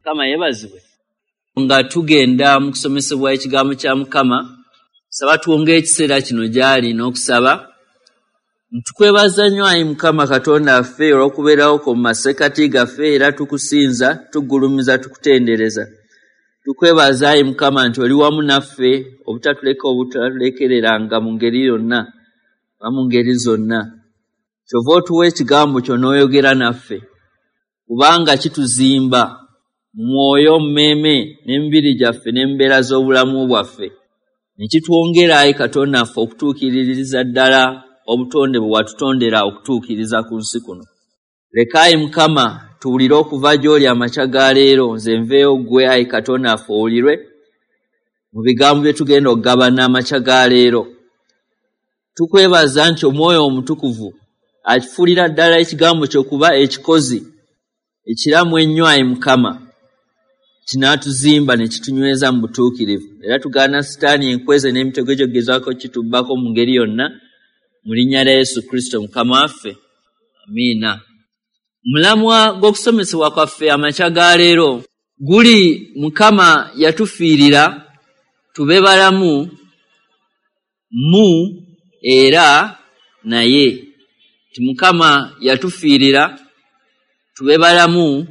Mukama yeebazibwe. Nga tugenda mu kusomesebwa ekigambo kya Mukama, saba tuwonge ekiseera kino gy'ali n'okusaba. Ntukwebaza nnyo ayi Mukama Katonda waffe olw'okubeerawo kwo mu masekkati gaffe, era tukusinza, tugulumiza, tukutendereza. Tukwebaza ayi Mukama nti oli wamu naffe, obutatuleka obutatulekereranga mu ngeri yonna oba mu ngeri zonna. Kyova otuwa ekigambo kyo n'oyogera naffe, kubanga kituzimba mu mwoyo, mu mmeeme n'emibiri gyaffe n'embeera z'obulamu bwaffe. Ne kitwongera ayi Katonda waffe okutuukiririza ddala obutonde bwe watutondera okutuukiriza ku nsi kuno. Leka ayi Mukama tuwulire okuva gy'oli amakya ga leero, nze nveeyo ggwe ayi Katonda waffe owulirwe mu bigambo bye tugenda okugabana amakya ga leero. Tukwebaza nti Omwoyo Omutukuvu akifuulira ddala ekigambo kyo kuba ekikozi ekiramu ennyo ayi Mukama, kinaatuzimba ne kitunyweza mu butuukirivu. Era tugaana Sitaani enkweze n'emitego gy'okugezaako kitubbako mu ngeri yonna, mu linnya lya Yesu Kristo Mukama waffe. Amiina. Omulamwa gw'okusomesebwa kwaffe amakya ga leero guli Mukama yatufiirira tube balamu mu era naye. Nti Mukama yatufiirira tube balamu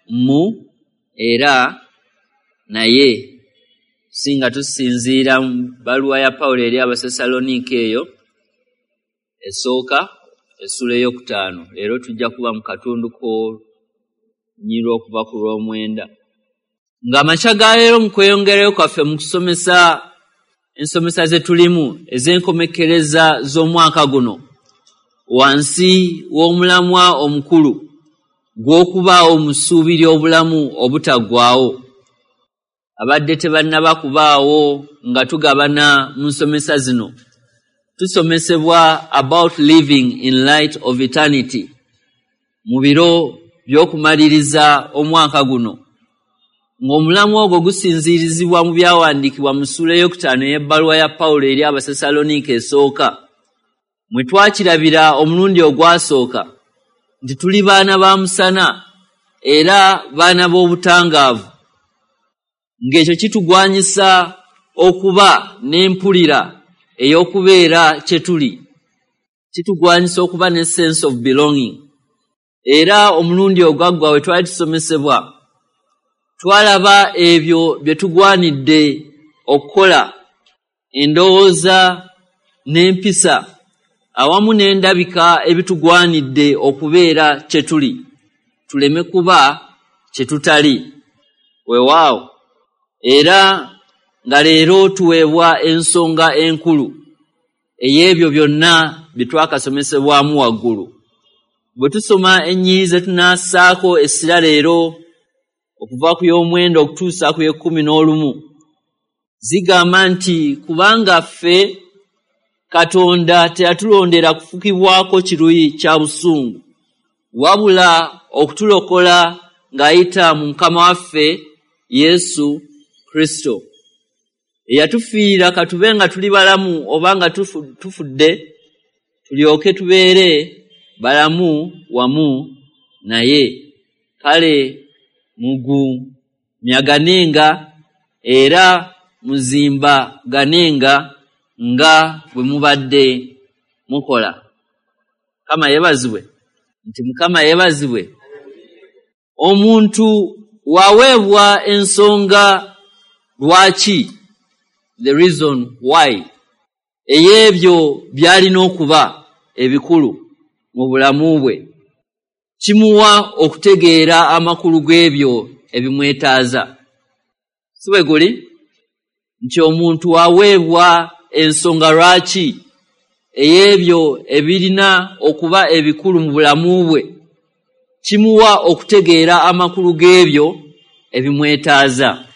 mu era naye. Singa tusinziira mu bbaluwa ya Pawulo eri Abasessaloniika eyo esooka essula ey'okutaano. Leero tujja kuba mu katundu k'olunyiriri okuva ku lw'omwenda. Ng'amakya ga leero mu kweyongerayo kwaffe mu kusomesa ensomesa ze tulimu ez'enkomekkereza z'omwaka guno, wansi w'omulamwa omukulu gw'okubaawo mu ssuubi ly'obulamu obutaggwaawo. Abadde tebannaba kubaawo nga tugabana mu nsomesa zino, tusomesebwa about living in light of eternity mu biro by'okumaliriza omwaka guno, ng'omulamwa ogwo gusinziirizibwa mu byawandiikibwa mu ssuula ey'okutaano ey'ebbaluwa ya Pawulo eri Abasessaloniika esooka, mwe twakirabira omulundi ogwasooka nti tuli baana ba musana era baana b'obutangaavu, ng'ekyo kitugwanyisa okuba n'empulira ey'okubeera kye tuli, kitugwanyisa okuba ne sense of belonging. Era omulundi ogwaggwa we twali tusomesebwa, twalaba ebyo bye tugwanidde okukola, endowooza n'empisa awamu n'endabika ebitugwanidde okubeera kye tuli, tuleme kuba kye tutali. Weewaawo, era nga leero tuweebwa ensonga enkulu ey'ebyo byonna bye twakasomesebwamu waggulu. Bwe tusoma ennyiriri ze tunaassaako essira leero okuva ku y'omwenda okutuusa ku y'ekkumi n'olumu, zigamba nti kubanga ffe Katonda teyatulondera kufukibwako kiruyi kya busungu, wabula okutulokola ng'ayita mu Mukama waffe Yesu Kristo, eyatufiirira katube nga tuli balamu oba nga tufudde, tulyoke tubeere balamu wamu naye. Kale mugumyaganenga era muzimbaganenga nga bwe mubadde mukola. Mukama yeebazibwe. Nti Mukama yeebazibwe. Omuntu waweebwa ensonga lwaki, the reason why, ey'ebyo by'alina okuba ebikulu mu bulamu bwe, kimuwa okutegeera amakulu g'ebyo ebimwetaaza. Si bwe guli? Nti omuntu waweebwa ensonga lwaki ey'ebyo ebirina okuba ebikulu mu bulamu bwe, kimuwa okutegeera amakulu g'ebyo ebimwetaaza.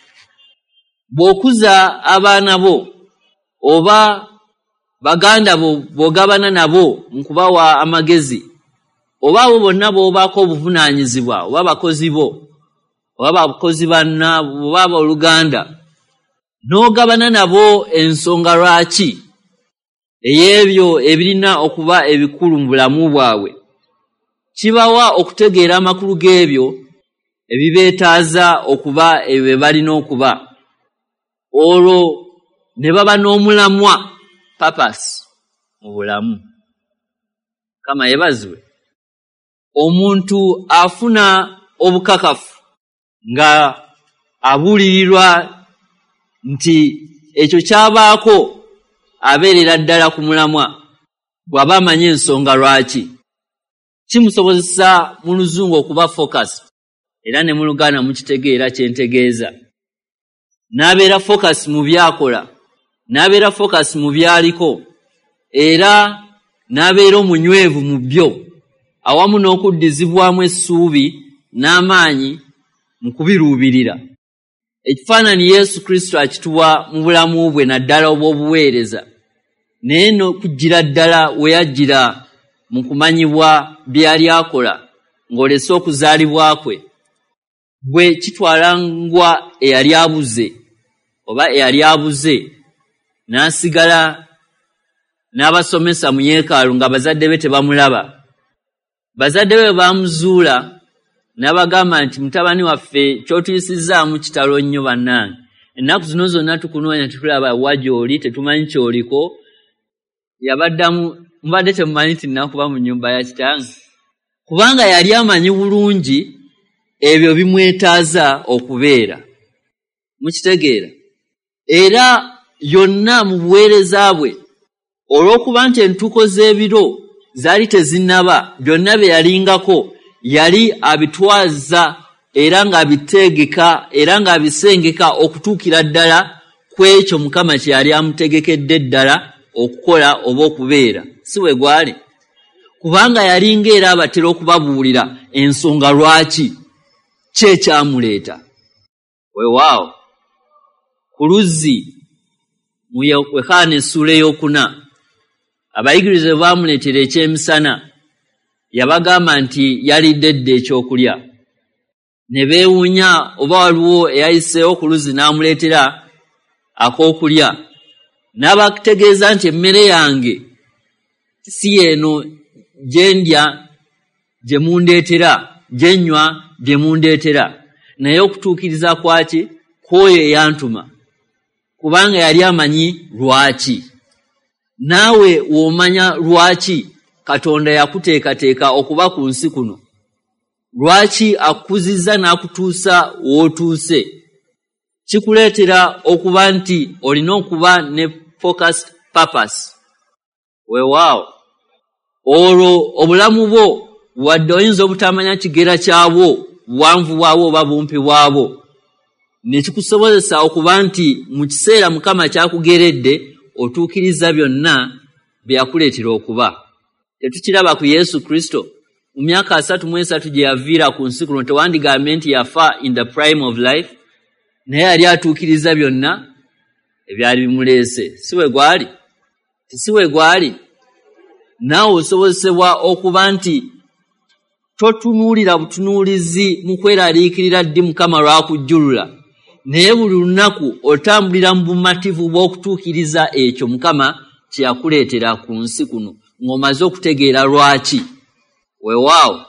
Bw'okuza abaana bo oba baganda bo bw'ogabana nabo mu kubawa amagezi, oba abo bonna b'obaako obuvunaanyizibwa, oba bakozi bo, oba bakozi banna, oba abooluganda, n'ogabana nabo ensonga lwaki ey'ebyo ebirina okuba ebikulu mu bulamu bwabwe, kibawa okutegeera amakulu g'ebyo ebibeetaaza okuba ebyo bye balina okuba, olwo ne baba n'omulamwa, purpose, mu bulamu. Mukama yeebazibwe. Omuntu afuna obukakafu nga abuulirirwa nti ekyo ky'abaako abeerera ddala ku mulamwa bw'aba amanyi ensonga lwaki. Kimusobozesa mu Luzungu okuba focus, era ne mu Luganda mukitegeera kye ntegeeza. N'abeera focus mu by'akola, n'abeera focus mu by'aliko, era n'abeera omunywevu mu byo, awamu n'okuddizibwamu essuubi n'amaanyi mu kubiruubirira. Ekifaananyi Yesu Kristo akituwa mu bulamu bwe naddala obw'obuweereza, naye n'okujjira ddala we yajjira mu kumanyibwa bye yali akola ng'olese okuzaalibwa kwe, bwe kitwalangwa eyali abuze oba eyali abuze n'asigala n'abasomesa mu yeekaalu nga bazadde be tebamulaba. Bazadde be baamuzuula n'abagamba nti, mutabani waffe ky'otuyisizzaamu kitalo nnyo bannange. Ennaku zino zonna tukunoonya tetulaba wa gy'oli, tetumanyi ky'oliko. Yabaddamu, mubadde temumanyi nti nnakuba mu nnyumba ya kitange? Kubanga yali amanyi bulungi ebyo bimwetaaza okubeera. Mukitegeera? Era yonna mu buweereza bwe, olw'okuba nti entuuko z'ebiro zaali tezinnaba, byonna bye yalingako yali abitwaza era ng'abitegeka era ng'abisengeka okutuukira ddala ku ekyo Mukama kye yali amutegekedde ddala okukola oba okubeera. Si bwe gwali? Kubanga yalinga era abatera okubabuulira ensonga lwaki ki ekyamuleeta. Weewaawo, ku luzzi mu Yokaana essuula ey'okuna, abayigiriza bwe baamuleetera ekyemisana, yabagamba nti yalidde dda ekyokulya. Ne beewuunya oba waliwo eyayiseewo ku luzzi n'amuleetera ak'okulya. N'abategeeza nti emmere yange si y'eno gye ndya gye mundeetera, gye nnywa bye mundeetera, naye okutuukiriza kwaki kw'oyo eyantuma, kubanga yali amanyi lwaki. Naawe w'omanya lwaki Katonda yakuteekateeka okuba ku nsi kuno, lwaki akukuzizza n'akutuusa w'otuuse, kikuleetera okuba nti olina okuba ne focused purpose. Weewaawo, olwo obulamu bwo wadde oyinza obutamanya kigera kyabwo, buwanvu bwabwo oba bumpi bwabwo, ne kikusobozesa okuba nti mu kiseera Mukama ky'akugeredde otuukiriza byonna bye yakuleetera okuba. Tetukiraba ku Yesu Kristo? Mu myaka 33 gye yaviira ku nsi kuno, tewandigambye nti yafa in the prime of life, naye yali atuukiriza byonna ebyali bimuleese. Si bwe gwali? Si bwe gwali? Naawe osobozesebwa okuba nti totunuulira butunuulizi mu kweraliikirira ddi Mukama lw'akujjulula, naye buli lunaku otambulira mu bumativu bw'okutuukiriza ekyo Mukama kye yakuleetera ku nsi kuno ng'omaze okutegeera lwaki. Weewaawo,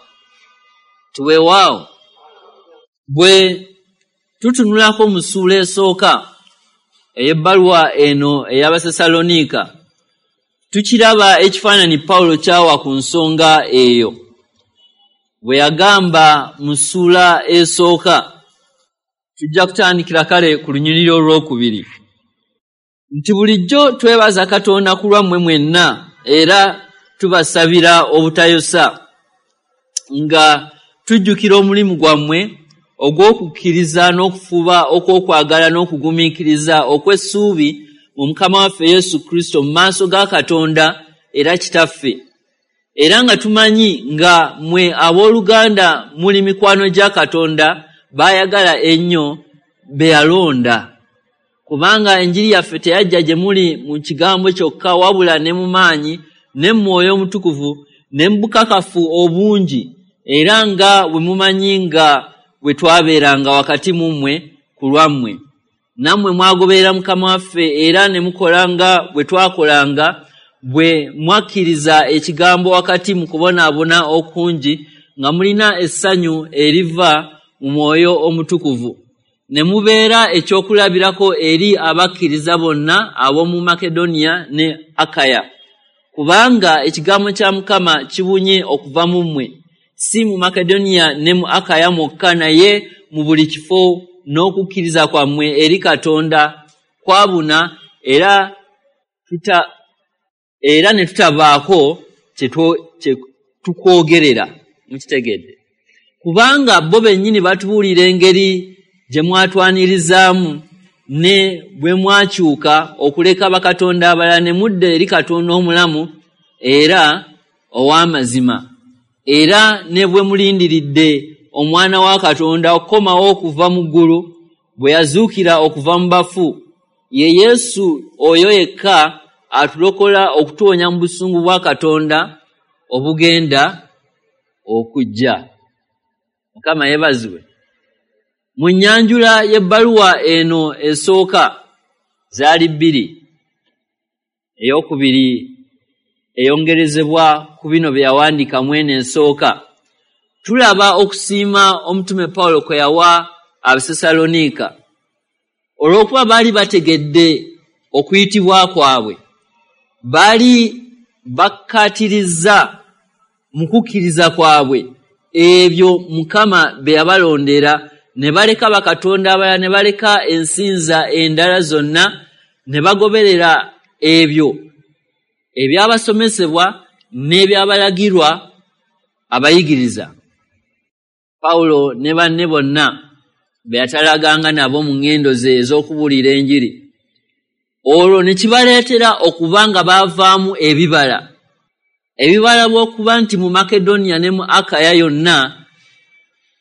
tiweewaawo. Bwe tutunulako mu ssuula esooka ey'ebbaluwa eno ey'Abasessaloniika, tukiraba ekifaananyi Pawulo ky'awa ku nsonga eyo bwe yagamba mu ssuula esooka. Tujja kutandikira kale ku lunyiriri olwokubiri nti bulijjo twebaza Katonda ku lwammwe mwenna era tubasabira obutayosa nga tujjukira omulimu gwammwe ogw'okukkiriza n'okufuba okw'okwagala n'okugumiikiriza okw'essuubi mu Mukama waffe Yesu Kristo mu maaso ga Katonda era Kitaffe. Era nga tumanyi nga mmwe abooluganda muli mikwano gya Katonda b'ayagala ennyo be yalonda. Kubanga enjiri yaffe teyajja gye muli mu kigambo kyokka wabula ne mu maanyi ne mu Mwoyo Omutukuvu ne mu bukakafu obungi, era nga bwe mumanyi nga bwe twabeeranga wakati mu mmwe ku lwammwe. Nammwe mwagoberera Mukama waffe era ne mukola nga bwe twakolanga, bwe mwakkiriza ekigambo wakati mu kubonaabona okungi, nga mulina essanyu eriva mu Mwoyo Omutukuvu, ne mubeera ekyokulabirako eri abakkiriza bonna ab'omu Makedoniya ne Akaya. Kubanga ekigambo kya Mukama kibunye okuva mu mmwe, si mu Makedoniya ne mu Akaya mwokka, naye mu buli kifo n'okukkiriza kwammwe eri Katonda kwabuna, era ne tutabaako kye tukwogerera. Mukitegedde? Kubanga bo bennyini batubuulira engeri gye mwatwanirizaamu ne bwe mwakyuka okuleka bakatonda abalala ne mudda eri Katonda omulamu era ow'amazima, era ne bwe mulindiridde Omwana wa Katonda okukomawo okuva mu ggulu, bwe yazuukira okuva mu bafu, ye Yesu oyo yekka atulokola okutuwonya mu busungu bwa Katonda obugenda okujja. Mukama yeebazibwe. Mu nnyanjula y'ebbaluwa eno esooka zaali bbiri, ey'okubiri eyongerezebwa ku bino bye yawandiika mu eno esooka, tulaba okusiima omutume Pawulo kwe yawa Abasessaloniika olw'okuba baali bategedde okuyitibwa kwabwe, baali bakkaatirizza mu kukkiriza kwabwe ebyo Mukama bye yabalondera, ne baleka bakatonda abalala, ne baleka ensinza endala zonna, ne bagoberera ebyo ebyabasomesebwa n'ebyabalagirwa abayigiriza. Pawulo ne banne bonna be yatalaganga nabo mu ŋŋendo ze ez'okubuulira enjiri, olwo ne kibaleetera okuba nga baavaamu ebibala. Ebibala bw'okuba nti mu Makedoniya ne mu Akaya yonna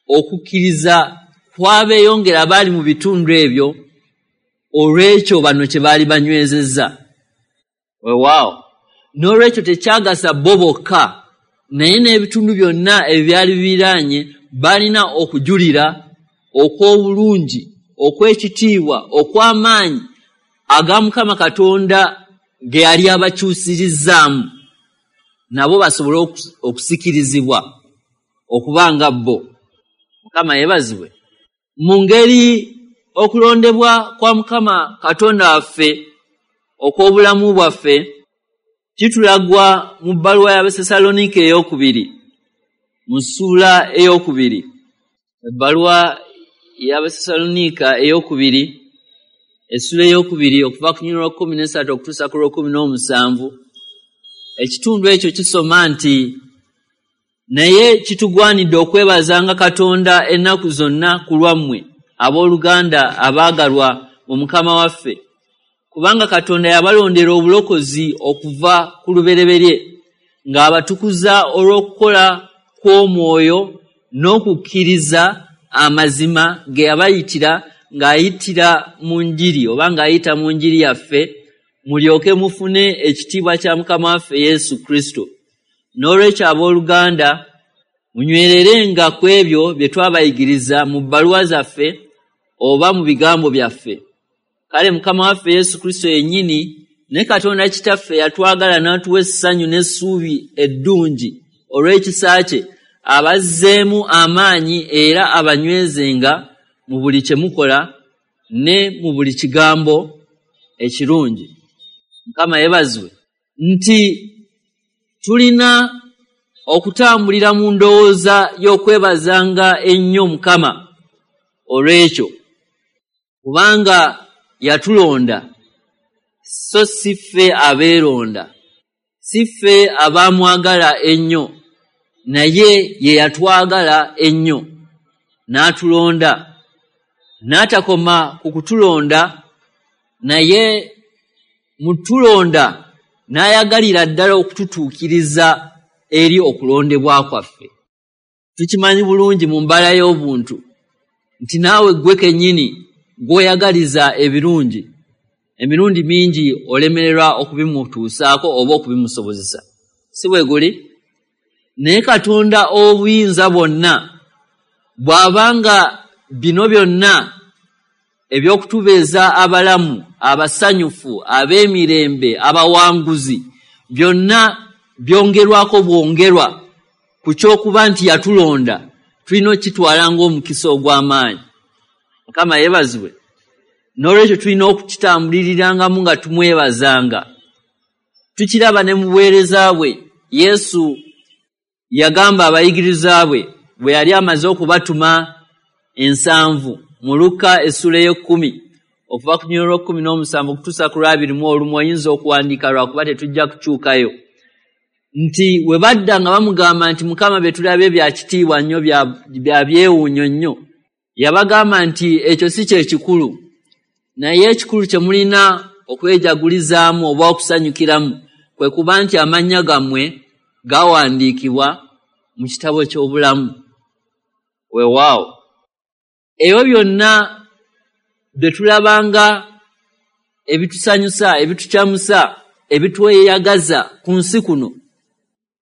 okukkiriza kwabeeyongera abaali mu bitundu ebyo olw'ekyo bano kye baali banywezezza. Weewaawo, n'olwekyo tekyagasa bo bokka, naye n'ebitundu byonna ebyali bibiraanye baalina okujulira okw'obulungi, okw'ekitiibwa, okw'amaanyi aga Mukama Katonda ge yali abakyusirizzaamu, nabo basobole okusikirizibwa okuba nga bo. Mukama yeebazibwe. Mu ngeri okulondebwa kwa Mukama Katonda waffe okw'obulamu bwaffe kitulagwa mu bbaluwa y'Abasessaloniika ey'okubiri, mu ssuula ey'okubiri. Ebbaluwa y'Abasessaloniika ey'okubiri, essuula ey'okubiri, okuva ku lunyiriri lwa 13 okutuusa ku lwa 17, ekitundu ekyo kisoma nti, naye kitugwanidde okwebazanga Katonda ennaku zonna ku lwammwe, abooluganda abaagalwa mu Mukama waffe, kubanga Katonda yabalondera obulokozi okuva ku lubereberye, ng'abatukuza olw'okukola kw'omwoyo n'okukkiriza amazima ge yabayitira ng'ayitira mu njiri, oba ng'ayita mu njiri yaffe, mulyoke mufune ekitiibwa kya Mukama waffe Yesu Kristo. N'olwekyo abooluganda, munywererenga ku ebyo bye twabayigiriza mu bbaluwa zaffe oba mu bigambo byaffe. Kale Mukama waffe Yesu Kristo yennyini ne Katonda Kitaffe yatwagala n'atuwa essanyu n'essuubi eddungi olw'ekisa kye, abazzeemu amaanyi era abanywezenga mu buli kye mukola ne mu buli kigambo ekirungi. Mukama yeebazibwe nti tulina okutambulira mu ndowooza y'okwebazanga ennyo Mukama olw'ekyo, kubanga yatulonda, so si ffe abeeronda, si ffe abaamwagala ennyo, naye ye yatwagala ennyo n'atulonda, n'atakoma ku kutulonda, naye mu tulonda n'ayagalira ddala okututuukiriza eri okulondebwa kwaffe. Tukimanyi bulungi mu mbala y'obuntu nti naawe ggwe kennyini gw'oyagaliza ebirungi, emirundi mingi olemererwa okubimutuusaako oba okubimusobozesa. Si bwe guli? Naye Katonda ow'obuyinza bwonna bw'abanga bino byonna eby'okutubeeza abalamu, abasanyufu, ab'emirembe, abawanguzi, byonna byongerwako bwongerwa ku ky'okuba nti yatulonda, Tulina okukitwala ng'omukisa ogw'amaanyi. Mukama yeebazibwe. N'olwekyo tulina okukitambulirirangamu nga tumwebazanga. Tukiraba ne mu buweereza bwe. Yesu yagamba abayigiriza bwe bwe yali amaze okubatuma 7 mu Luka essula ey'ekkumi okuva ku lunyiriri lw'ekkumi n'omusanvu okutuusa ku lw'abiri mu olumu, oyinza okuwandiika lwakuba tetujja kukyukayo, nti we badda nga bamugamba nti Mukama bye tulabye bya kitiibwa nnyo, bya byewuunyo nnyo. Yabagamba nti ekyo si kye kikulu, naye ekikulu kye mulina okwejagulizaamu oba okusanyukiramu kwe kuba nti amannya gammwe gawandiikibwa mu kitabo ky'obulamu. Weewaawo, ebyo byonna bye tulabanga ebitusanyusa, ebitukyamusa, ebitweyagaza ku nsi kuno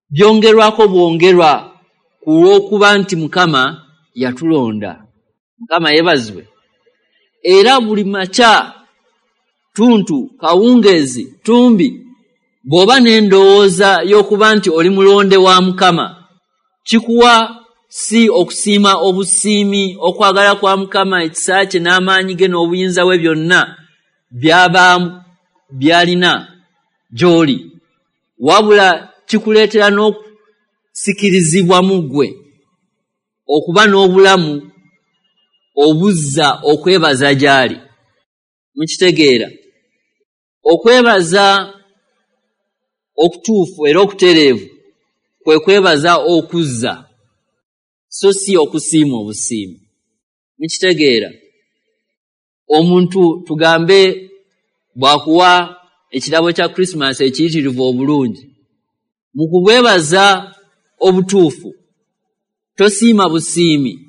byongerwako bwongerwa ku lw'okuba nti Mukama yatulonda. Mukama yeebazibwe. Era buli makya, ttuntu, kawungeezi, ttumbi, bw'oba n'endowooza y'okuba nti oli mulonde wa Mukama, kikuwa si okusiima obusiimi okwagala kwa Mukama, ekisa kye n'amaanyi ge n'obuyinza bwe byonna byaba byalina gy'oli, wabula kikuleetera n'okusikirizibwa mu ggwe okuba n'obulamu obuzza okwebaza gy'ali. Mukitegeera? Okwebaza okutuufu era okutereevu kwe kwebaza okuzza, so si okusiima obusiimi. Mukitegeera? Omuntu tugambe bw'akuwa ekirabo kya Christmas ekiyitirivu obulungi, mu kubwebaza obutuufu tosiima busiimi,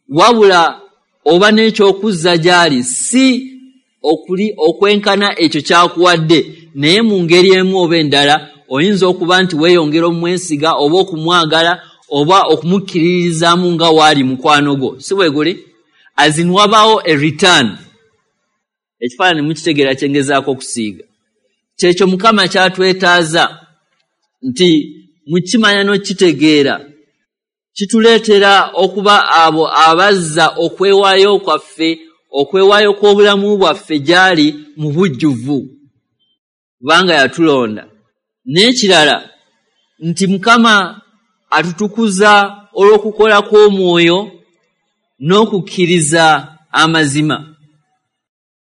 wabula oba n'ekyokuzza gy'ali, si okuli okwenkana ekyo ky'akuwadde, naye mu ngeri emu oba endala oyinza okuba nti weeyongera omwesiga oba okumwagala oba okumukkiririzaamu nga waali mukwano gwo. Si bwe guli? As in wabaawo a return. Ekifaananyi mukitegeera kye ngezaako okusiiga? Kyekyo Mukama kyatwetaaza nti mukimanya n'okukitegeera kituleetera okuba abo abazza okwewaayo kwaffe, okwewaayo kw'obulamu bwaffe gy'ali mu bujjuvu, kubanga yatulonda. N'ekirala nti Mukama atutukuza olw'okukola kw'omwoyo n'okukkiriza amazima.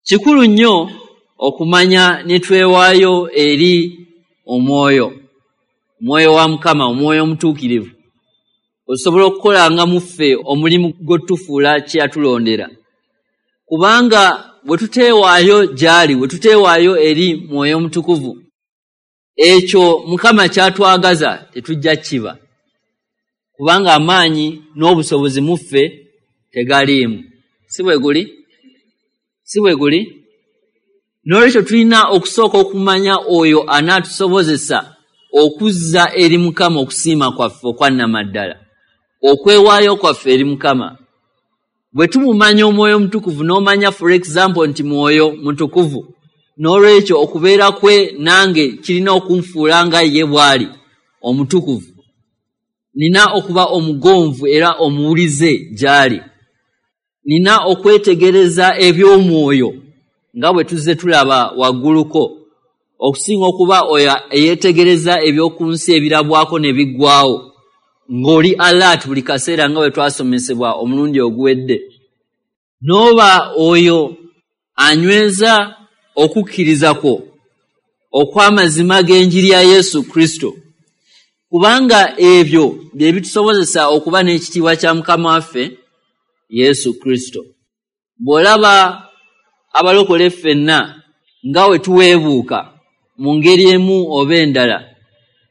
Kikulu nnyo okumanya ne twewaayo eri omwoyo, omwoyo wa Mukama, omwoyo omutuukirivu, osobola okukolanga mu ffe omulimu gw'otufuula kye yatulondera. Kubanga bwe tuteewaayo gy'ali, bwe tuteewaayo eri mwoyo omutukuvu, ekyo Mukama ky'atwagaza tetujja kiba, kubanga amaanyi n'obusobozi mu ffe tegaliimu. Si bwe guli? Si bwe guli? N'olwekyo tulina okusooka okumanya oyo anaatusobozesa okuzza eri Mukama okusiima kwaffe okwannamaddala, okwewaayo kwaffe eri Mukama. Bwe tumumanya omwoyo omutukuvu, n'omanya for example nti mwoyo mutukuvu, n'olwekyo okubeera kwe nange kirina okunfuula nga ye bw'ali omutukuvu. Nina okuba omugonvu era omuwulize gy'ali. Nina okwetegereza eby'omwoyo nga bwe tuzze tulaba wagguluko, okusinga okuba oyo eyeetegereza eby'oku nsi ebirabwako ne biggwaawo, ng'oli alert buli kaseera nga bwe twasomesebwa omulundi oguwedde. N'oba oyo anyweza okukkiriza kwo okw'amazima g'enjiri ya Yesu Kristo, kubanga ebyo bye bitusobozesa okuba n'ekitiibwa kya Mukama waffe Yesu Kristo. Bw'olaba abalokole ffenna nga we tuweebuuka mu ngeri emu oba endala,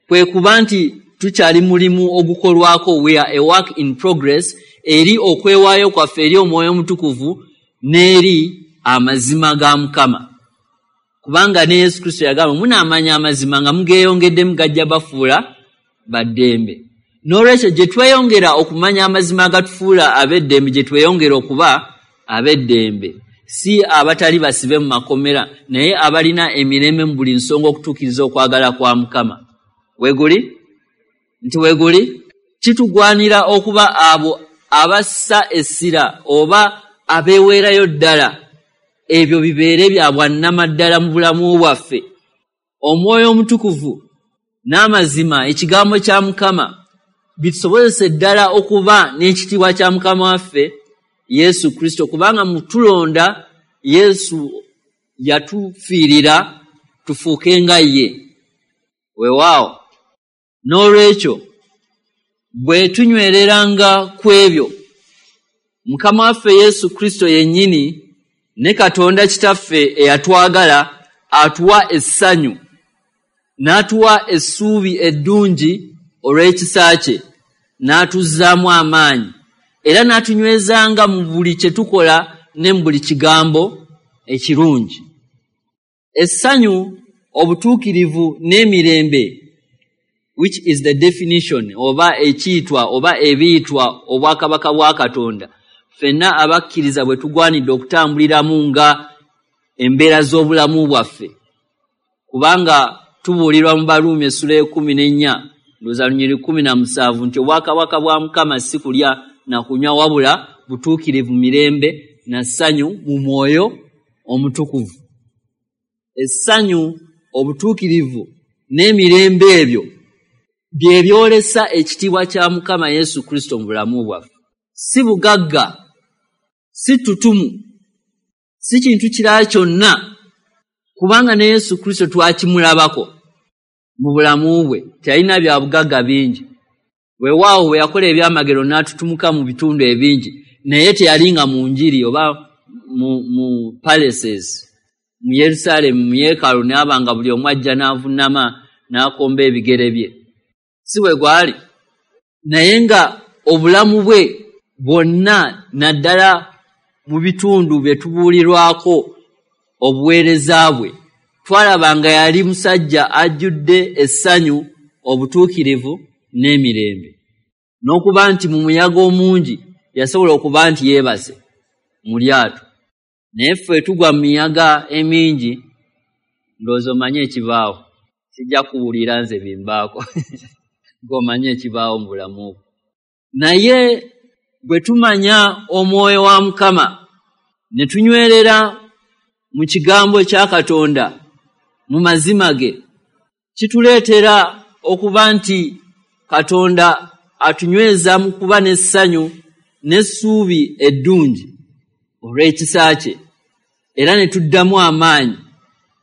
kwe kuba nti tukyali mulimu ogukolwako, we are a work in progress eri okwewaayo kwaffe eri omwoyo omutukuvu n'eri amazima ga Mukama. Kubanga ne Yesu Kristo yagamba, munaamanya amazima nga mugeeyongeddemu gajja bafuula baddembe. N'olwekyo gye tweyongera okumanya amazima agatufuula ab'eddembe, gye tweyongera okuba ab'eddembe, si abatali basibe mu makomera, naye abalina emirembe mu buli nsonga okutuukiriza okwagala kwa Mukama. Weeguli? Nti weeguli? Kitugwanira okuba abo abassa essira oba abeeweerayo ddala, ebyo bibeere bya bwannamaddala mu bulamu bwaffe. Omwoyo Omutukuvu n'amazima, ekigambo kya Mukama, bitusobozese ddala okuba n'ekitiibwa kya Mukama waffe Yesu Kristo, kubanga mutulonda Yesu yatufiirira tufuuke nga ye. Weewaawo, n'olwekyo bwe tunywereranga ku ebyo, Mukama waffe Yesu Kristo yennyini ne Katonda Kitaffe eyatwagala atuwa essanyu, n'atuwa essuubi eddungi olw'ekisa kye, n'atuzzaamu amaanyi, era n'atunywezanga mu buli kye tukola ne mu buli kigambo ekirungi. Essanyu, obutuukirivu n'emirembe, which is the definition oba ekiyitwa oba ebiyitwa obwakabaka bwa Katonda, ffenna abakkiriza bwe tugwanidde okutambuliramu nga embeera z'obulamu bwaffe, kubanga tubuulirwa mu Baruumi essula 14 ndowooza lunyiriri 17 nti obwakabaka bwa Mukama si kulya na kunywa, wabula butuukirivu, mirembe na ssanyu mu mwoyo Omutukuvu. Essanyu, obutuukirivu n'emirembe ebyo bye byolesa ekitiibwa kya Mukama Yesu Kristo mu bulamu bwaffe. Si bugagga, si ttutumu, si kintu kirala kyonna, kubanga ne Yesu Kristo twakimulabako mu bulamu bwe, teyalina bya bugagga bingi. Weewaawo bwe yakola ebyamagero n'atutumuka mu bitundu ebingi, naye teyalinga mu njiri oba mu palaces mu Yerusaalemi, mu yeekaalu, n'aba nga buli omu ajja n'avunnama n'akomba ebigere bye. Si bwe gwali, naye nga obulamu bwe bwonna, naddala mu bitundu bye tubuulirwako obuweereza bwe, twalaba nga yali musajja ajjudde essanyu, obutuukirivu n'emirembe, n'okuba nti mu muyaga omungi yasobola okuba nti yeebase mu lyato. Naye ffe tugwa mu miyaga emingi, ndowooza omanye ekibaawo, sijja kuwulira nze bimbaako ng'omanye ekibaawo mu bulamu bwo. Naye bwe tumanya omwoyo wa Mukama ne tunywerera mu kigambo kya Katonda, mu mazima ge, kituleetera okuba nti Katonda atunyweza mu kuba n'essanyu n'essuubi eddungi olw'ekisa kye, era ne tuddamu amaanyi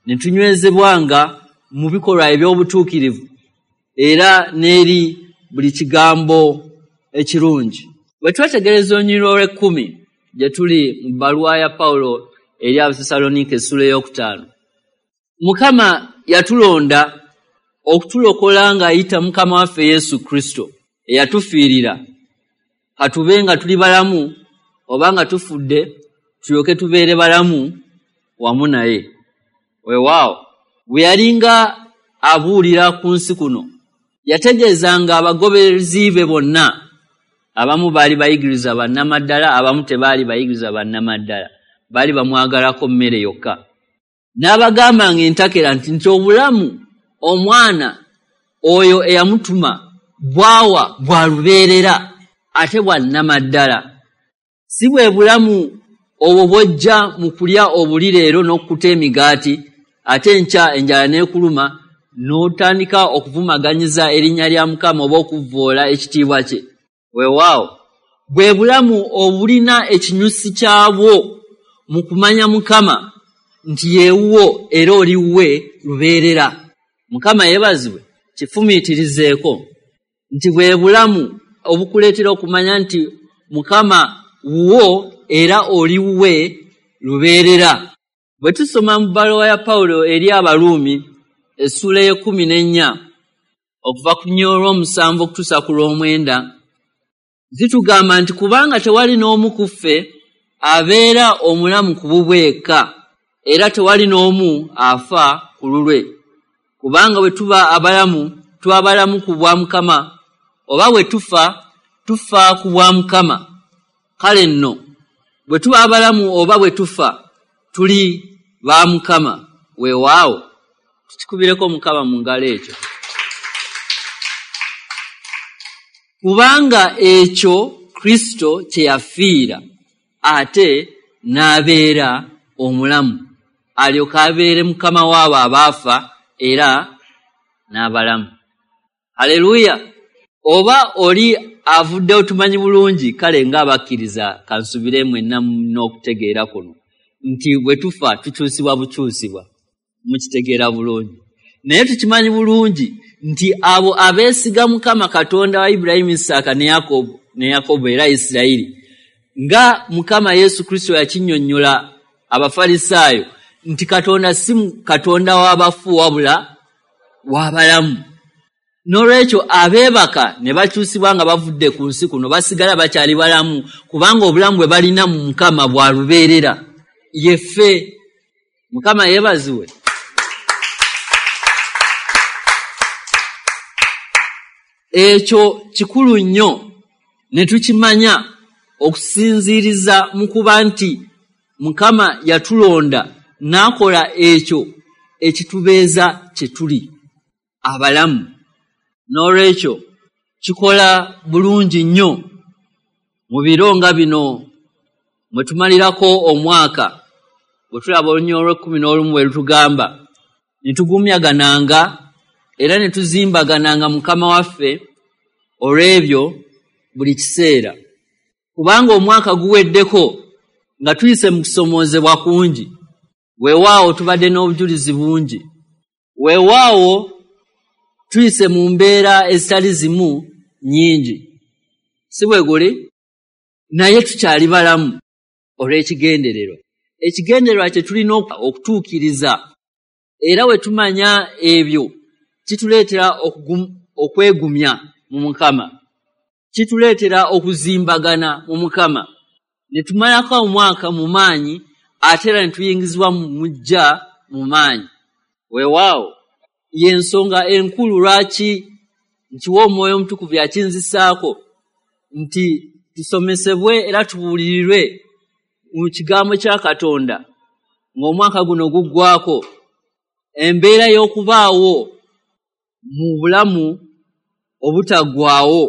ne tunywezebwanga mu bikolwa eby'obutuukirivu era n'eri buli kigambo ekirungi. Bwe twetegereza olunyiriri olw'ekkumi gye tuli mu bbaluwa ya Pawulo eri Abasessaloniika essula 5, Mukama yatulonda okutulokola ng'ayita Mukama waffe Yesu Kristo eyatufiirira, katube nga tuli balamu oba nga tufudde, tulyoke tubeere balamu wamu naye. Weewaawo, bwe yalinga abuulira ku nsi kuno, yategeezanga abagoberezi be bonna. Abamu baali bayigiriza bannamaddala, abamu tebaali bayigiriza bannamaddala, baali bamwagalako mmere yokka. N'abagambanga entakera nti obulamu omwana oyo eyamutuma bwawa bwa lubeerera ate bwa nnamaddala. Si bwe bulamu obwo bw'ojja mu kulya obuli leero n'okkuta emigaati, ate enkya enjala n'ekuluma n'otandika okuvumaganyiza erinnya lya Mukama oba okuvvoola ekitiibwa kye. Weewaawo, bwe bulamu obulina ekinyusi kyabwo mu kumanya Mukama nti yeewuwo era oli wuwe lubeerera. Mukama yeebazibwe. Kifumiitirizeeko nti bwe bulamu obukuleetera okumanya nti Mukama wuwo era oli wuwe lubeerera. Bwe tusoma mu bbaluwa ya Pawulo eri Abaruumi essula 14 okuva ku 7 okutuusa ku 9, zitugamba nti kubanga tewali n'omu ku ffe abeera omulamu ku bubwe yekka, era tewali n'omu afa ku lulwe. Kubanga bwe tuba abalamu, tuba balamu ku bwa Mukama, oba bwe tufa, tufa ku bwa Mukama. Kale nno bwe tuba abalamu oba bwe tufa, tuli ba Mukama. Weewaawo, tukikubireko Mukama mu ngalo ekyo. Kubanga ekyo Kristo kye yafiira ate n'abeera omulamu, alyoke abeere Mukama waabo abaafa era n'abalamu. Haleluya! Oba oli avuddewo tumanyi bulungi, kale ng'abakkiriza kansubire mwenna n'okutegeera kuno nti bwe tufa tukyusibwa bukyusibwa, mukitegeera bulungi. Naye tukimanyi bulungi nti abo abeesiga Mukama Katonda wa Ibulayimu, Isaaka ne Yakobo era Isirayiri, nga Mukama Yesu Kristo yakinnyonnyola Abafalisaayo nti Katonda si Katonda w'abafu wabula w'abalamu. N'olwekyo abeebaka ne bakyusibwa nga bavudde ku nsi kuno basigala bakyali balamu, kubanga obulamu bwe balina mu Mukama bwa lubeerera. Yeffe. Mukama yeebazibwe. Ekyo kikulu nnyo ne tukimanya okusinziiriza mu kuba nti Mukama yatulonda n'akola ekyo ekitubeeza kye tuli abalamu. N'olwekyo kikola bulungi nnyo mu biro nga bino mwe tumalirako omwaka, bwe tulaba olunyiriri olw'ekkumi n'olumu bwe lutugamba, ne tugumyagananga era ne tuzimbagananga Mukama waffe olw'ebyo buli kiseera. Kubanga omwaka guweddeko nga tuyise mu kusomoozebwa kungi, weewaawo tubadde n'obujulizi bungi, weewaawo tuyise mu mbeera ezitali zimu nnyingi, si bwe guli? Naye tukyali balamu olw'ekigendererwa. Ekigendererwa kye tulina okutuukiriza, era we tumanya ebyo kituleetera okwegumya mu Mukama, kituleetera okuzimbagana mu Mukama, ne tumalako omwaka mu maanyi ate era ne tuyingizibwa mu mujja mu maanyi. Weewaawo y'ensonga enkulu lwaki nkiwa Omwoyo Omutukuvu yakinzisaako nti tusomesebwe era tubuulirirwe mu kigambo kya Katonda ng'omwaka guno guggwako, embeera y'okubaawo mu bulamu obutaggwaawo,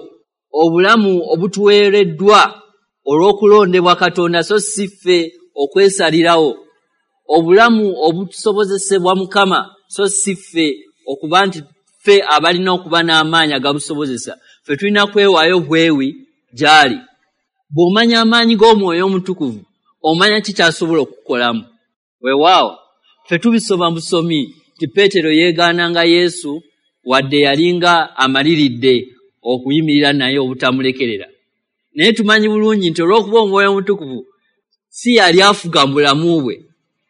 obulamu obutuweereddwa olw'okulondebwa Katonda so si ffe okwesalirawo, obulamu obutusobozesebwa Mukama so si ffe okuba nti ffe abalina okuba n'amaanyi agabusobozesa. Ffe tulina kwewaayo bwewi gy'ali. Bw'omanya amaanyi g'Omwoyo Omutukuvu omanya ki ky'asobola okukukolamu. Weewaawo ffe tubisoma busomi nti Peetero yeegaananga Yesu wadde yalinga amaliridde okuyimirira naye obutamulekerera. Naye tumanyi bulungi nti olw'okuba Omwoyo Omutukuvu si yali afuga mu bulamu bwe,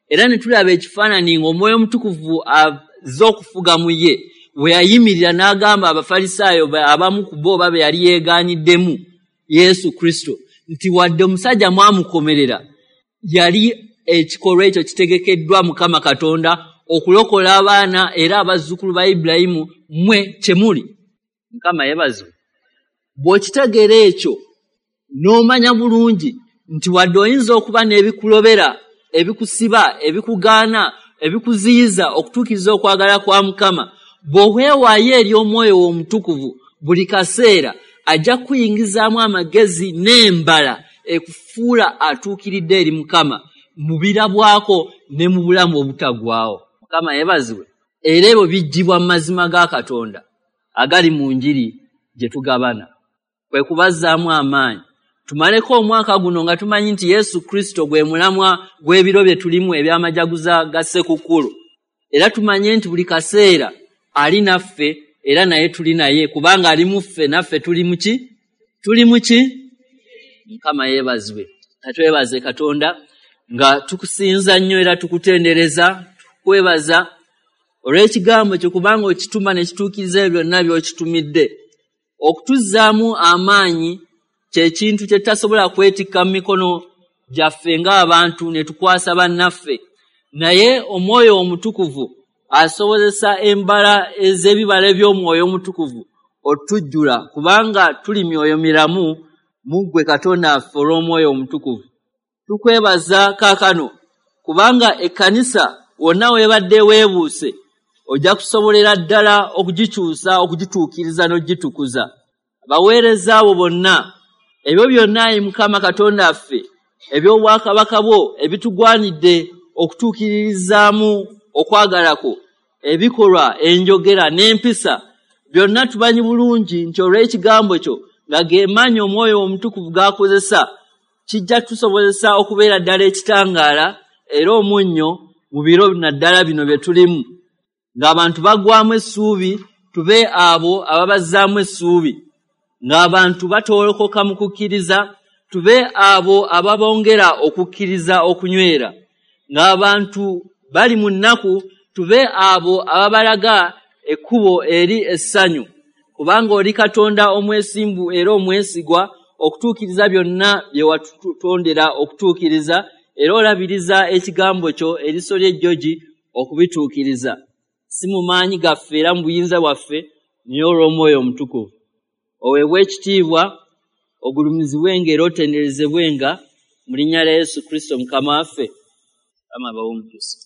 era ne tulaba ekifaananyi ng'Omwoyo Omutukuvu azze okufuga mu ye, bwe yayimirira n'agamba Abafalisaayo abamu ku bo oba be yali yeegaaniddemu Yesu Kristo nti wadde omusajja mwamukomerera, yali ekikolwa ekyo kitegekeddwa Mukama Katonda okulokola abaana era abazzukulu ba Ibulayimu mmwe kye muli. Mukama yeebazibwe. Bw'okitegeera ekyo n'omanya bulungi nti wadde oyinza okuba n'ebikulobera, ebikusiba, ebikugaana, ebikuziyiza okutuukiriza okwagala kwa Mukama, bw'oweewaayo eri Omwoyo wo Omutukuvu buli kaseera ajja kukuyingizaamu amagezi n'embala ekufuula atuukiridde eri Mukama mu birabwako ne mu bulamu obutaggwaawo. Mukama yeebazibwe. Era ebyo biggyibwa mu mazima ga Katonda agali mu njiri gye tugabana. Kwe kubazzaamu amaanyi tumaleko omwaka guno nga tumanyi nti Yesu Kristo gwe mulamwa gw'ebiro bye tulimu eby'amajaguza ga Ssekukkulu, era tumanye nti buli kaseera ali naffe era naye tuli naye, kubanga ali mu ffe naffe tuli mu ki? Tuli mu ki? Mukama yeebazibwe. Katwebaze Katonda nga tukusinza nnyo era tukutendereza, tukwebaza olw'ekigambo kyo, kubanga okituma ne kituukiriza ebyo byonna by'okitumidde. Okutuzzaamu amaanyi kye kintu kye tutasobola kwetikka mu mikono gyaffe ng'abantu ne tukwasa bannaffe, naye Omwoyo Omutukuvu asobozesa embala ez'ebibala eby'Omwoyo Omutukuvu otujjula, kubanga tuli myoyo miramu mu ggwe Katonda waffe olw'Omwoyo Omutukuvu. Tukwebaza kaakano kubanga ekkanisa wonna weebadde weebuuse ojja kusobolera ddala okugikyusa, okugituukiriza n'ogitukuza. Abaweereza abo bonna Ebyo byonna, ayi Mukama Katonda waffe, eby'obwakabaka bwo ebitugwanidde okutuukiririzaamu okwagala kwo, ebikolwa, enjogera n'empisa, byonna tumanyi bulungi nti olw'ekigambo kyo nga ge maanyi Omwoyo Omutukuvu g'akozesa, kijja tusobozesa okubeera ddala ekitangaala era omunnyo mu biro naddala bino bye tulimu. Ng'abantu baggwaamu essuubi, tube abo ababazzaamu essuubi. Ng'abantu batoolokoka mu kukkiriza, tube abo ababongera okukkiriza okunywera. Ng'abantu bali mu nnaku, tube abo ababalaga ekkubo eri essanyu. Kubanga oli Katonda omwesimbu era omwesigwa okutuukiriza byonna bye watutondera okutuukiriza, era olabiriza ekigambo kyo eriiso ly'ejjogi okubituukiriza. Si mu maanyi gaffe era mu buyinza bwaffe, naye olw'Omwoyo Omutukuvu. Oweebwe ekitiibwa, ogulumizibwenga era otenderezebwenga mu linnya lya Yesu Kristo Mukama waffe. Mukama abawe omukisa.